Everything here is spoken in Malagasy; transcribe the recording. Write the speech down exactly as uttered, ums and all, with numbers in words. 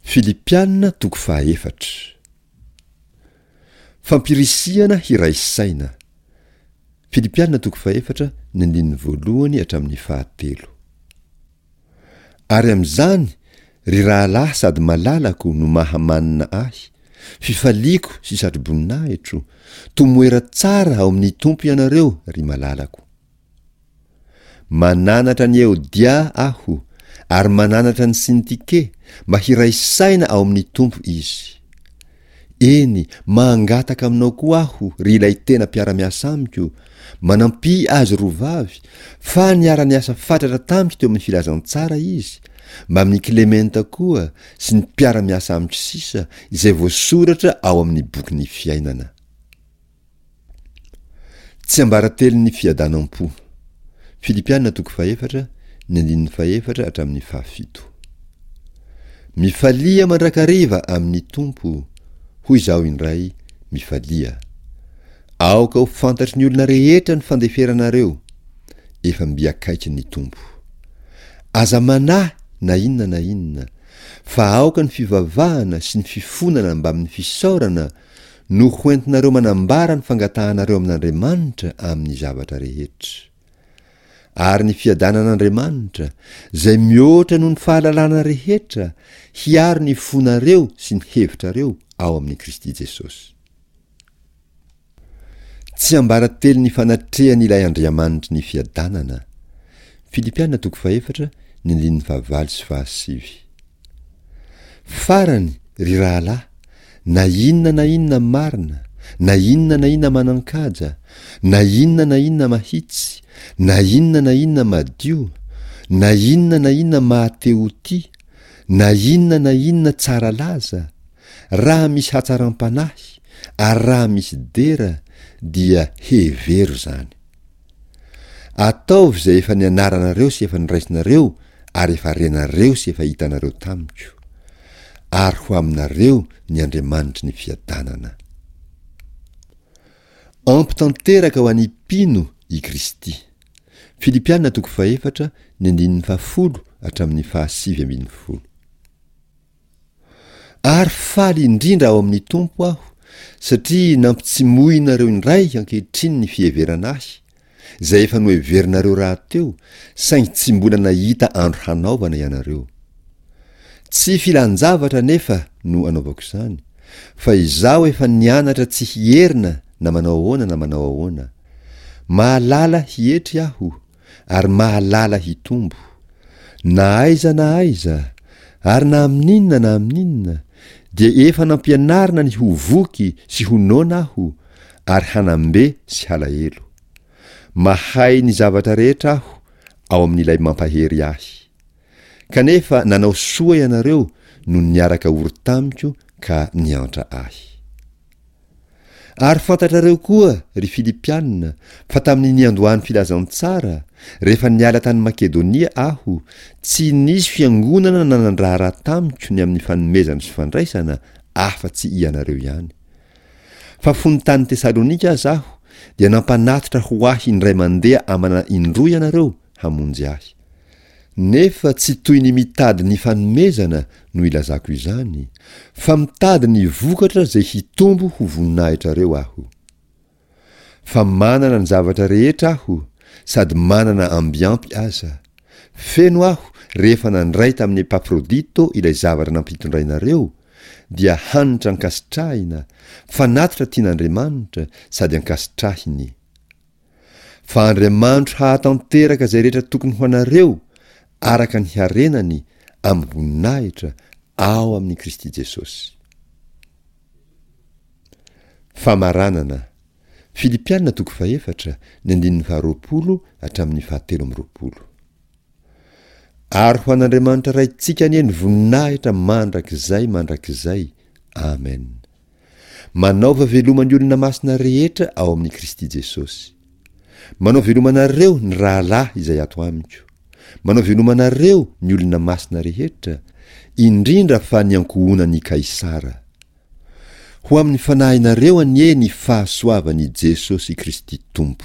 Filipiana toko fahaefatra. Fampirisihana hiray saina. Filipiana toko fahefatra ny andininy voalohany hatramin'ny fahatelo. Ary amin'izany, ry rahalahy sady malalako no maha-manina ahy, fifaliako sy satroboninahitro, tomoera tsara ao amin'ny Tompo ianareo, ry malalako. Mananatra an'i Eodia aho, ary mananatra an'i Syntike, mba hiray saina ao amin'ny Tompo izy. Eny, mangataka aminao koa aho, ry ilay tena mpiara-miasa amiko, manampia azy roa vavy, fa niara-niasa fatratra tamiko teo amin'ny filazantsara izy, mbamin'i Klementa koa sy ny mpiara-miasa amiko sisa, izay voasoratra ao amin'ny bokin'ny fiainana. Tsiambaratelon'ny fiadanam-po. Filipiana toko fahefatra, ny andininy fahefatra hatramin'ny fahafito. Mifalia mandrakariva amin'ny Tompo, hoy izaho indray, mifalia. Aoka ho fantatry ny olona rehetra ny fandeferanareo, efa mby akaiky ny Tompo. Aza manahy na inona na inona, fa aoka ny fivavahana sy ny fifonana mbamin'ny fisaorana no hoentinareo manambara ny fangatahanareo amin'Andriamanitra amin'ny zavatra rehetra. Ary ny fiadanan'Andriamanitra, izay mihoatra noho ny fahalalana rehetra, hiaro ny fonareo sy ny hevitrareo ao amin'i Kristy Jesosy. Tsiambaratelon'ny fanatrehan'ilay Andriamanitry ny fiadanana. Filipiana toko fahefatra, ny andininy fahavalo sy fahasivy. Farany, ry rahalahy, na inona na inona marina, na inona na inona manan-kaja, na inona na inona mahitsy, na inona na inona madio, na inona na inona mahatehotia, na inona na inona tsara laza, raha misy hatsaram-panahy, ary raha misy dera, dia hevero izany. Ataovy izay efa nianaranareo sy efa noraisinareo ary efa renareo sy efa hitanareo tamiko. Ary ho aminareo ny Andriamanitry ny fiadanana. Ampy tanteraka ho an'ny mpino i Kristy. Filipiana toko fahefatra, ny andininy fahafolo hatramin'ny fahasivy ambin'ny folo. Ary faly indrindra ao amin'ny Tompo aho, satria nampitsimohinareo indray ankehitriny ny fiheverana ahy, izay efa noheverinareo rahateo, saingy tsy mbola nahita andro hanaovana ianareo. Tsy filan-javatra anefa no anaovako izany, fa izaho efa nianatra tsy hierina na manao ahoana na manao ahoana. Mahalala hietry aho, ary mahalala hitombo. Na aiza na aiza, ary na amin'inona na amin'inona, dia efa nampianarina ny ho voky sy ho noana aho, ary hanam-be sy halahelo. Mahay ny zavatra rehetra aho ao amin'ilay mampahery ahy. Kanefa nanao soa ianareo no niaraka ory tamiko ka niantra ahy. Ary fantatrareo koa, ry Filipiana, fa tamin'ny niandohan'ny filazantsara, rehefa niala tany Makedonia aho, tsy nisy fiangonana nanan-draharaha tamiko ny amin'ny fanomezana sy fandraisana afa-tsy ianareo ihany. Fa fony tany Tesalonika aza aho, dia nampanatitra ho ahy indray mandeha amana indroa ianareo hamonjy ahy. Nefa tsy toy ny mitady ny fanomezana no ilazako izany, fa mitady ny vokatra izay hitombo ho voninahitrareo aho. Fa manana ny zavatra rehetra aho, sady manana ambiampy aza. Feno aho rehefa nandray tamin'i Epafrodito ilay zavatra nampitondrainareo, dia hanitra ankasitrahina, fanatitra tian'Andriamanitra sady ankasitrahiny. Fa Andriamanitro hahatanteraka izay rehetra tokony ho anareo araka ny harenany amin'ny voninahitra ao amin'i Kristy Jesosy. Famaranana. Filipiana toko fahefatra, ny andininy faharoapolo hatramin'ny fahatelo amby roapolo. Ary ho an'Andriamanitra Raintsika anie ny voninahitra mandrakizay mandrakizay. Amen. Manaova veloma ny olona masina rehetra ao amin'i Kristy Jesosy. Manao veloma anareo ny rahalahy izay ato amiko. Manao veloma anareo ny olona masina rehetra, indrindra fa ny ankohonan'i Kaisara. Ho amin'ny fanahinareo anie ny fahasoavan'i Jesosy Kristy Tompo.